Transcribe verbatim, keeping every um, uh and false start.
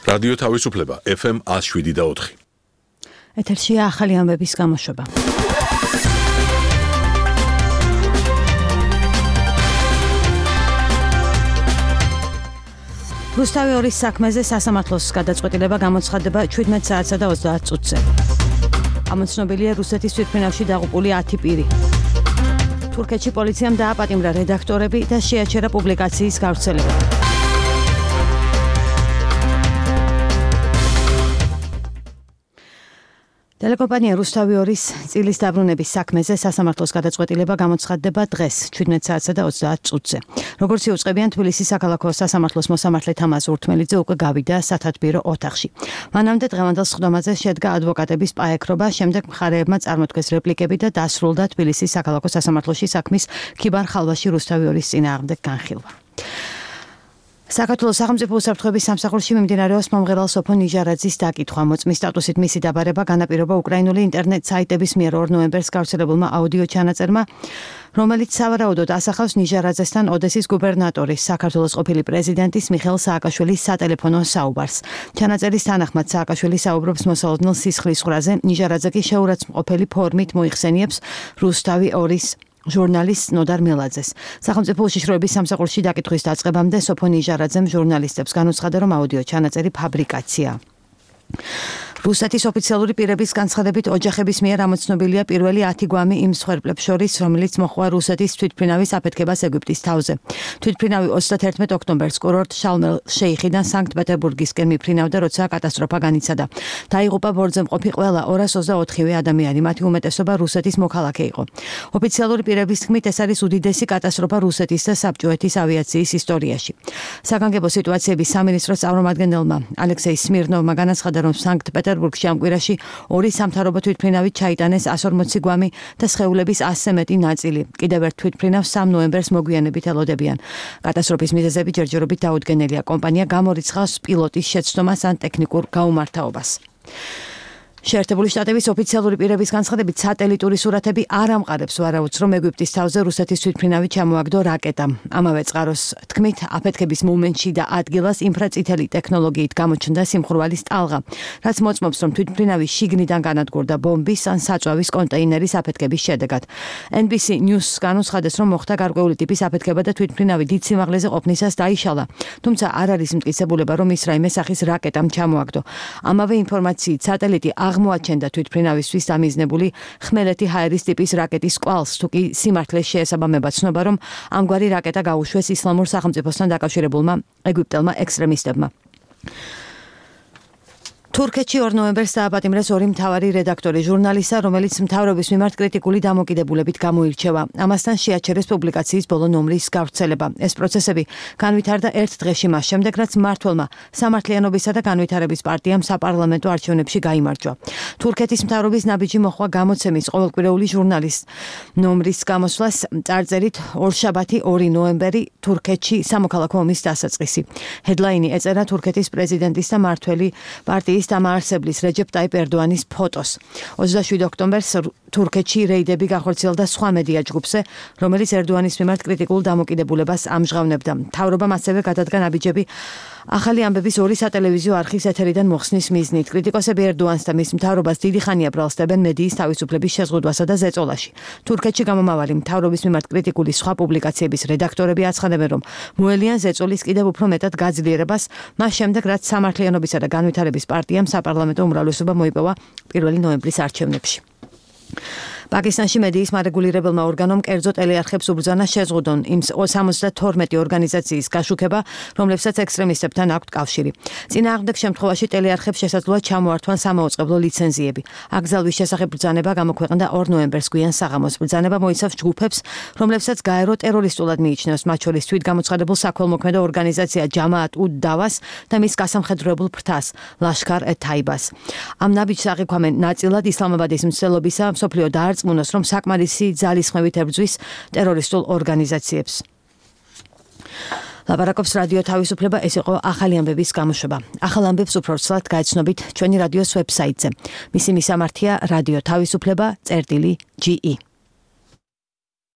რადიო თავისუფლება ეფ ემ ათს შვიდი და ოთხი. ეთერშია ახალი ამბების გამოშვება. რუსთავი ორის საქმეზე სასამართლოს გადაწყვეტილება გამოცხადდება ჩვიდმეტ საათსა და ოცდაათ წუთზე. ამოცნობილია რუსეთის თვითმფრინავში დაღუპული ათი პირი. თურქეთში პოლიციამ დააპატიმრა რედაქტორები და შეაჩერა პუბლიკაციის გავრცელება. ტელეკომპანია რუსთავი ორის წილის დაბრუნების საქმეზე სასამართლოს გადაწყვეტილება გამოცხადდება დღეს ჩვიდმეტ საათსა და ოცდაათ წუთზე. როგორც იუწყებიან თბილისის საქალაქო სასამართლოს მოსამართლე თამაზ ურთმელიძე უკვე გავიდა სათათბირო ოთახში. მანამდე დღევანდელ სხდომაზე შედგა ადვოკატების პაექრობა, შემდეგ მხარეებმა წარმოთქვეს რეპლიკები და დასრულდა თბილისის საქალაქო სასამართლოში საქმის ქიბარ ხალვაში რუსთავი ორის წინააღმდეგ განხილვა. საქართველოს სახელმწიფო უსაფრთხოების სამსახურში მიმდინარეობს მომღერალ სოფო ნიჟარაძის დაკითხვა. მოწმის სტატუსით მისი დაბარება განაპირობა უკრაინული ინტერნეტ საიტების მიერ ორ ნოემბერს გავრცელებულმა აუდიო ჩანაწერმა, რომელიც სავარაუდოდ ასახავს ნიჟარაძესთან ოდესის გუბერნატორის, საქართველოს ყოფილი პრეზიდენტის მიხეილ სააკაშვილის სატელეფონო საუბარს. ჩანაწერის თანახმად სააკაშვილი საუბრობს მოსალოდნელ სისხლის ხრაზე, ნიჟარაძე კი შეურაცხმყოფელი ფორმით მოიხსენიებს რუსთავი ორის ჟურნალისტ ნოდარ მელაძეს. სახელმწიფო უშიშროების სამსახურში დაკითხვის დაწყებამდე სოფო ნიჟარაძემ ჟურნალისტებს განუცხადა, რომ აუდიო ჩანაწერი ფაბრიკაცია. რუსეთის ოფიციალური პირების განცხადებით ოჯახების მიერ ამოცნობილია პირველი ათი გვამი იმ მსხვერპლებს შორის, რომელიც მოხდა რუსეთის თვითმფრინავის აფეთქებას ეგვიპტის თავზე. თვითმფრინავი ოცდათერთმეტ ოქტომბერს კურორტ შალმელ შეიხიდან სანქტ-პეტერბურგისკენ მიფრინავდა, როცა კატასტროფა განიცადა. დაიღუპა ბორცვზე მყოფი ყველა ორას ოცდაოთხივე ადამიანი, მათი უმეტესობა რუსეთის მოქალაქე იყო. ოფიციალური პირების თქმით, ეს არის უდიდესი კატასტროფა რუსეთის და საბჭოეთის ავიაციის ისტორიაში. საგანგებო სიტუაციების სამინისტროს წარმომადგენელმა ალექსეი სმირნოვმა განაცხადა, რომ სანქტ-პეტერბურგში ამ კვირაში ორი სამთავრობო თვითმფრინავით ჩაიტანეს εκατს ორმოცი გვამი და სხეულების ასზე მეტი ნაწილი. კიდევ ერთ თვითმფრინავს სამ ნოემბერს მოგვიანებით ელოდებიან. კატასტროფის მიზეზები ჯერჯერობით დაუდგენელია. კომპანია გამორიცხავს პილოტის შეცდომას ან ტექნიკურ გაუმართავობას. შეერთებული შტატების ოფიციალური პირების განცხადებით, სატელიტური სურათები არ ამყარებს ვარაუდს, რომ ეგვიპტის თავზე რუსეთის თვითმფრინავი ჩამოაგდო რაკეტა. ამავე წყაროს თქმით, აფეთქების მომენტში და ადგილას ინფრაწითელი ტექნოლოგიით გამოჩნდა სიმხურვალის ტალღა, რაც მოწმობს, რომ თვითმფრინავი შიგნიდან განადგურდა ბომბის ან საწვავის კონტეინერის აფეთქების შედეგად. ენ ბი სი News განუცხადეს, რომ მოხდა გარკვეული ტიპის აფეთქება და თვითმფრინავი დიდ სიმაღლეზე ყოფნისას დაიშალა, თუმცა არ არის მტკიცებულება, რომ ის რაიმე სახის რაკეტამ ჩამოაგდო. ამავე ინფორმაციით, სატელიტი აღმოაჩენდა თვითმფრინავისთვის დამიზნებული ხმელეთი ჰაერის ტიპის რაკეტის კვალს, თუ კი სიმართლეს შეესაბამება ცნობა, რომ ამგვარი რაკეტა გაუშვეს ისლამურ სახელმწიფოსთან დაკავშირებულმა ეგვიპტელმა ექსტრემისტებმა. თურქეთში ორ ნოემბერს დააპატიმრეს ორი მთავარი რედაქტორი ჟურნალისტა, რომელიც მთავრობის მიმართ კრიტიკული დამოკიდებულებით გამოირჩევა. ამასთან შეაჩერეს პუბლიკაციის ბოლო ნომრის გავრცელება. ეს პროცესები განვითარდა ერთ დღეში მას შემდეგ, რაც მმართველმა სამართლიანობისა და განვითარების პარტიამ საპარლამენტო არჩევნებში გაიმარჯვა. თურქეთის მთავრობის ნაბიჯი მოხდა გამოცემის ყოველკვირეული ჟურნალის ნომრის გამოსვლას წარწერით ორშაბათი ორი ნოემბერი თურქეთში სამოქალაქო ომის დასაწყისი. ჰედლაინი ეწერა თურქეთის პრეზიდენტის და მმართველი პარტიის დამაარსებლის რეჯეპ ტაიპ ერდოანის ფოტოს. ოცდაშვიდი ოქტომბერს თურქეთში რეიდები გახორციელდა სხვა მედია ჯგუფზე, რომელიც ერდოანის მიმართ კრიტიკულ დამოკიდებულებას ამჟღავნებდა. მთავრობამ ასევე გადადგა ნაბიჯები ახალი ამბების ორი სატელევიზიო არხის ეთერიდან მოხსნის მიზნით. კრიტიკოსები ერდოანს და მის მთავრობას დიდი ხანია ბრალსდებენ მედიის თავისუფლების შეზღუდვასა და ზეწოლაში. თურქეთში გამომავალი მთავრობის მიმართ კრიტიკული სხვა პუბლიკაციების რედაქტორები აცხადებენ, რომ მოელიან ზეწოლის კიდევ უფრო მეტად გაძლიერებას, მას შემდეგ, რაც სამართლიანობისა და განვითარების პარტიამ საპარლამენტო უმრავლესობა მოიპოვა პირველი ნოემბრის არჩევნებში. პაკისტანში მედიის მარეგულირებელმა ორგანომ კერძო ტელეარხებს უბრძანა შეზღუდონ იმ სამოცდათორმეტი ორგანიზაციის გაშუქება, რომლებსაც ექსტრემისტებთან აქვთ კავშირი. წინააღმდეგ შემთხვევაში ტელეარხებს შესაძლოა ჩამოართვან სამაუწყებლო ლიცენზიები. აკრძალვის შესახებ ბრძანება გამოქვეყნდა ორ ნოემბერს გვიან საღამოს. ბრძანება მოიცავს ჯგუფებს, რომლებსაც გაერო ტერორისტულად მიიჩნევს, მათ შორის თვითგამოცხადებულ საქველმოქმედო ორგანიზაცია ჯამაატ უდ დავას და მის გასამხედროებულ ფრთას ლაშქარ ე-თაიბას. ამ ნაბიჯს აღიქვამენ ნაწილად ისლამაბადის მცდელობისა მსოფლიო დაარწმუნოს, რომ საკმარისი ძალისხმევით ებრძვის ტერორისტულ ორგანიზაციებს. ლაპარაკობს რადიო თავისუფლება, ეს იყო ახალი ამბების გამოშვება. ახალ ამბებს უფრო ცალად გაეცნობით ჩვენი რადიოს ვებსაიტზე. მისი მისამართია რადიო თავისუფლება წერტილი ჯი ი.